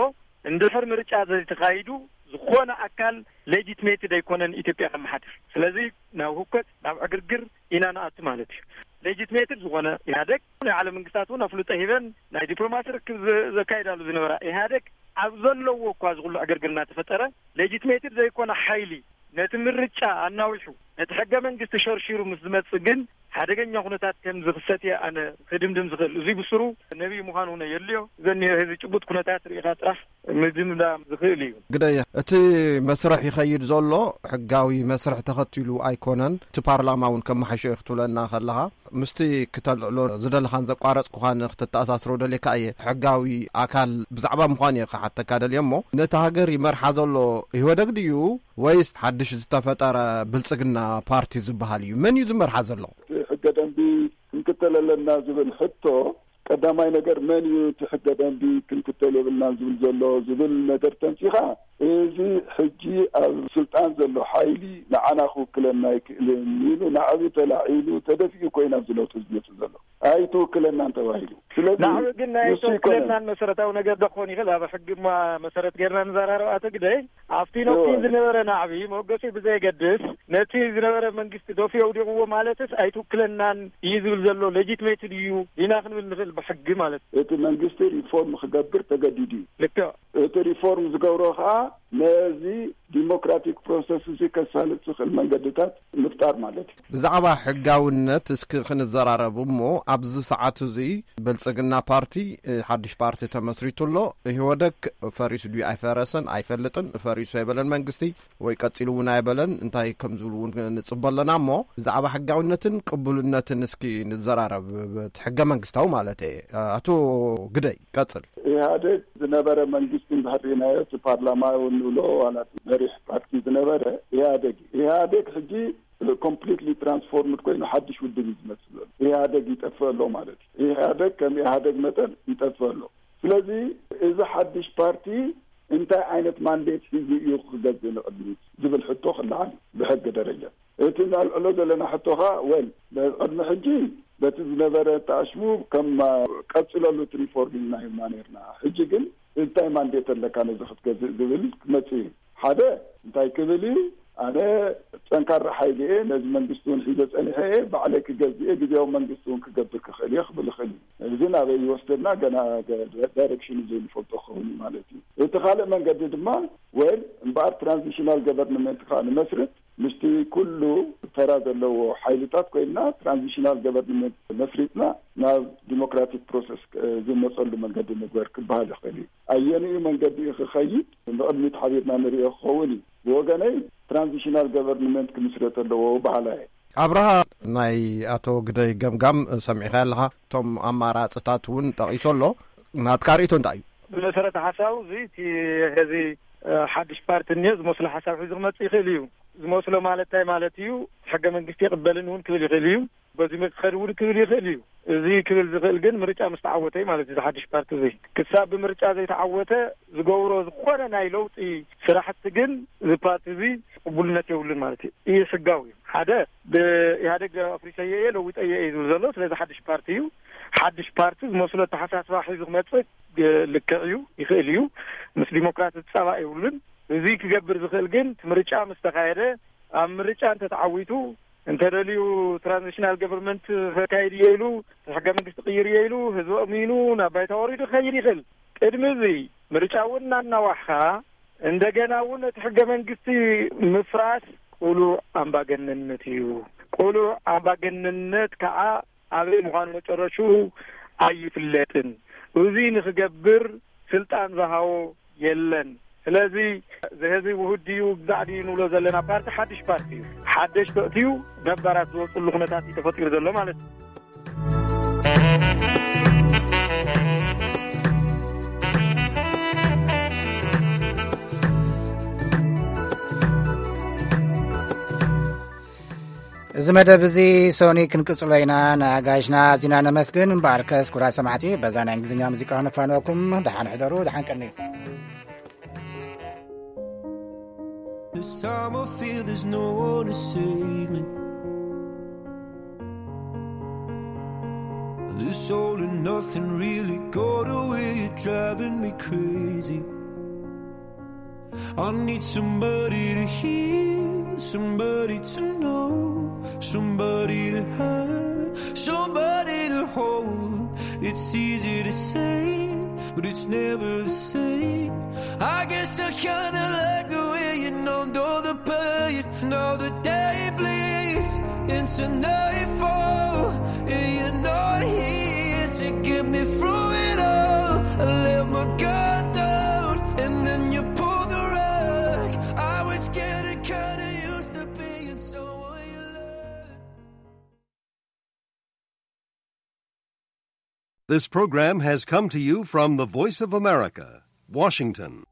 እንድሕር ምርጫ ዘይተኻይዱ ዝኾነ ኣካል ሌጂትሜትድ ኣይኮነን ኢትዮጵያ ከመሓድር። ስለዚ ናብ ህውከት ናብ ዕግርግር ኢና ንኣቱ ማለት እዩ። ሌጂትሜትድ ዝኾነ ኢህኣደግ ናይ ዓለም መንግስታት እውን ኣፍልጦ ሂበን ናይ ዲፕሎማሲ ርክብ ዘ-፣ ዘካይዳሉ ዝነበራ ኢህኣደግ ኣብ ዘለዎ እኳ ዝኹሉ ዕግርግር እናተፈጠረ ሌጂትሜትድ ዘይኮነ ሓይሊ ነቲ ምርጫ ኣናዊሑ እቲ ሕገ መንግስቲ ሸርሺሩ ምስ ዝመጽእ ግን ሓደገኛ ኩነታት ከም ዝኽሰት እየ ኣነ ክድምድም ዝኽእል። እዙይ ብስሩ ነቢይ ምዃን እውን የድልዮ። ዘኒዮ ህዝቢ ጭቡጥ ኩነታት ርኢኻ ጥራሕ ምድምዳም ዝኽእል እዩ። ግደየ፣ እቲ መስርሕ ይኸይድ ዘሎ ሕጋዊ መስርሕ ተኸቲሉ ኣይኮነን። እቲ ፓርላማ እውን ከመሓሾ እዩ ክትብለና ከለኻ፣ ምስቲ ክተልዕሎ ዝደለኻን ዘቋረጽኩኻን ክትተኣሳስሮ ደልየካ እየ። ሕጋዊ ኣካል ብዛዕባ ምዃን እየ ክሓተካ ደልየ እሞ፣ ነቲ ሃገር ይመርሓ ዘሎ ኢህወደግ ድዩ ወይስ ሓድሽ ዝተፈጠረ ብልጽግና ፓርቲ ዝበሃል እዩ? መን እዩ ዝመርሓ ዘሎ? ሕገ ደንቢ ክንክተል ኣለና ዝብል ሕቶ፣ ቀዳማይ ነገር መን እዩ እቲ ሕገ ደንቢ ክንክተል የብልናን ዝብል ዘሎ ዝብል ነገር ተንሲኻ፣ እዚ ሕጂ ኣብ ስልጣን ዘሎ ሓይሊ ንዓና ክውክለና ኣይክእልን ኢሉ ናዕቢ ተላዒሉ ተደፊኡ ኮይና ዝለውጥ ዝመጽእ ዘሎ። ኣይትውክለናን ተባሂሉ። ስለዚ ናዕቢ ግን ናይ ንሱ ኣይትውክለናን ይኮነን። መሰረታዊ ነገር ዶ ክኾን ይኽእል? ኣብ ሕጊ እማ መሰረት ጌርና ንዘራረብ ኣቶ ግደይ፣ ኣብቲ ነቲ እወ። ዝነበረ ናዕቢ መወገሲ ብዘየገድስ፣ ነቲ ዝነበረ መንግስቲ ዶፍ የውዲቕዎ ማለትስ ኣይትውክለናን እዩ ዝብል ዘሎ ሌጂትሜትድ እዩ ዲና ክንብል ንኽእል ብሕጊ ማለት እዩ። እቲ መንግስቲ ሪፎርም ክገብር ተገዲዱ እዩ። ልክዕ። እቲ ሪፎርም ዝገብሮ ከዓ ነዚ ዲሞክራቲክ ፕሮሰስ እዚ ከሳልጥ ዝኽእል መንገድታት ምፍጣር ማለት እዩ። ብዛዕባ ሕጋውነት እስኪ ክንዘራረብ እሞ፣ ኣብዚ ሰዓት እዚ ብልጽግና ፓርቲ፣ እ፣ ሓድሽ ፓርቲ ተመስሪቱ ኣሎ። ኢህወደግ ፈሪሱ ድዩ ኣይፈረሰን ኣይፈልጥን። ፈሪሱ ኣይበለን መንግስቲ፣ ወይ ቀጺሉ እውን ኣይበለን። እንታይ ከም ዝብሉ እውን ንጽበ ኣለና እሞ፣ ብዛዕባ ሕጋውነትን ቅቡልነትን እስኪ ንዘራረብ፣ እቲ ሕገ መንግስታዊ ማለት እየ። ኣቶ ግደይ፣ ቀጽል። ኢህኣዴግ ዝነበረ መንግስቲ እንድሕር ርኢናዮ፣ እቲ ፓርላማ እውን ንብሎ ዋላ እቲ መሪሕ ፓርቲ ዝነበረ ኢህኣዴግ እዩ። ኢህኣዴግ ሕጂ ኮምፕሊትሊ ትራንስፎርምድ ኮይኑ ሓድሽ ውድብ እዩ ዝመስል ዘሎ። ኢህኣዴግ ይጠፍእ ኣሎ ማለት እዩ። ኢህኣዴግ ከም ኢህኣዴግ መጠን ይጠፍእ ኣሎ። ስለዚ እዚ ሓድሽ ፓርቲ እንታይ ዓይነት ማንዴት ሒዙ እዩ ክገዝእ ንቕድሚት ዝብል ሕቶ ክለዓል እዩ ብሕጊ ደረጃ። እቲ ነልዕሎ ዘለና ሕቶ ኸዓ፣ ወል፣ ቅድሚ ሕጂ በቲ ዝነበረ ተኣሽሙ ከም ቀጽለሉ እቲ ሪፎርም ኢልና ሂብና ነርና። ሕጂ ግን እንታይ ማንዴት ኣለካ ነዚ ክትገዝእ ዝብል ክመጽእ እዩ። ሓደ እንታይ ክብል እዩ? ኣነ ጠንካራ ሓይሊ እየ፣ ነዚ መንግስቲ እውን ሒዘ ጸኒሐ እየ፣ ባዕለይ ክገዝእ እየ፣ ግዜያዊ መንግስቲ እውን ክገብር ክኽእል እየ ክብል ይኽእል እዩ። እዚ ናበይ ይወስደና ገና ዳይሬክሽኑ ዘይንፈልጦ ክኸውን እዩ ማለት እዩ። እቲ ካልእ መንገዲ ድማ፣ ወል፣ እምበኣር ትራንዚሽናል ገቨርንመንት ከዓ ንመስርት፣ ምስቲ ኩሉ ተራ ዘለዎ ሓይልታት ኮይንና ትራንዚሽናል ገቨርንመንት መስሪትና ናብ ዲሞክራቲክ ፕሮሰስ ዝመፀሉ መንገዲ ንግበር ክበሃል ይኽእል እዩ። ኣየንኡ መንገዲ እዩ ክኸይድ ንቕድሚት ሓቢርና ንሪኦ ክኸውን እዩ። ብወገነይ ትራንዚሽናል ገቨርንመንት ክምስረት ኣለዎ በሃላይ። ኣብርሃ፣ ናይ ኣቶ ግደይ ገምጋም ሰሚዕካ ኣለኻ። እቶም ኣማራፅታት እውን ጠቒሱ ኣሎ። ናትካ ርእይቶ እንታይ እዩ? ብመሰረተ ሓሳቡ እዚ እቲ ሕዚ ሓድሽ ፓርቲ እኒኦ ዝመስሎ ሓሳብ ሒዙ ክመፅእ ይኽእል እዩ። ዝመስሎ ማለት እንታይ ማለት እዩ? ሕገ መንግስቲ ይቕበልን እውን ክብል ይኽእል እዩ። በዚ ክኸድ እውን ክብል ይኽእል እዩ። እዚ ክብል ዝኽእል ግን ምርጫ ምስ ተዓወተ እዩ ማለት እዩ። እዚ ሓድሽ ፓርቲ እዚ ክሳብ ብምርጫ ዘይተዓወተ ዝገብሮ ዝኾነ ናይ ለውጢ ስራሕቲ ግን እዚ ፓርቲ እዚ ቅቡልነት የብሉን ማለት እዩ። እዩ ሕጋዊ እዩ። ሓደ ብኢህኣደግ ኣፍሪሰዮ እየ ለዊጠዮ እየ ዝብል ዘሎ። ስለዚ ሓድሽ ፓርቲ እዩ። ሓድሽ ፓርቲ ዝመስሎ ኣተሓሳስባ ሒዙ ክመፅእ ልክዕ እዩ፣ ይኽእል እዩ። ምስ ዲሞክራሲ ፃባእ የብሉን። እዚ ክገብር ዝኽእል ግን እቲ ምርጫ ምስ ተኻየደ፣ ኣብ ምርጫ እንተተዓዊቱ፣ እንተደልዩ ትራንዚሽናል ገቨርንመንት ከካይድ እየ ኢሉ፣ ሕገ መንግስቲ ቅይር እየ ኢሉ፣ ህዝቢ ኣእሚኑ ናብ ባይታ ወሪዱ ክኸይድ ይኽእል። ቅድሚ እዚ ምርጫ እውን እናናዋሕኻ፣ እንደገና እውን እቲ ሕገ መንግስቲ ምፍራስ ቅሉዕ ኣምባገነንነት እዩ። ቅሉዕ ኣምባገነንነት ከዓ ኣበይ ምዃኑ መጨረሽኡ ኣይፍለጥን። እዚ ንኽገብር ስልጣን ዝሃቦ የለን። ስለዚ እዚ ህዝቢ ውሁድ ድዩ ግዛዕ ድዩ ንብሎ ዘለና ፓርቲ ሓድሽ ፓርቲ እዩ። ሓደሽ ተእትዩ ነባራት ዝወፅሉ ኩነታት እዩ ተፈጢሩ ዘሎ ማለት እዩ። እዚ መደብ እዚ ሶኒ ክንቅጽሎ ኢና። ንኣጋይሽና ኣዚና ነመስግን። እምበኣርከስ ክቡራት ሰማዕቲ፣ በዛ ናይ እንግሊዝኛ ሙዚቃ ክነፋንወኩም። ደሓን ሕደሩ፣ ደሓን ቀንዩ። This time I feel there's no one to save me. This all and nothing really got away, you're driving me crazy. I need somebody to hear, somebody to know, somebody to have, somebody to hold. It's easy to say, but it's never the same. I guess I kinda like the way you numbed all the pain. Now the day bleeds Into nightfall, and you're not here to get me through it all. I let my guard down, and then you pulled the rug. I was getting kinda used to being someone you love. This program has come to you from the Voice of America, Washington.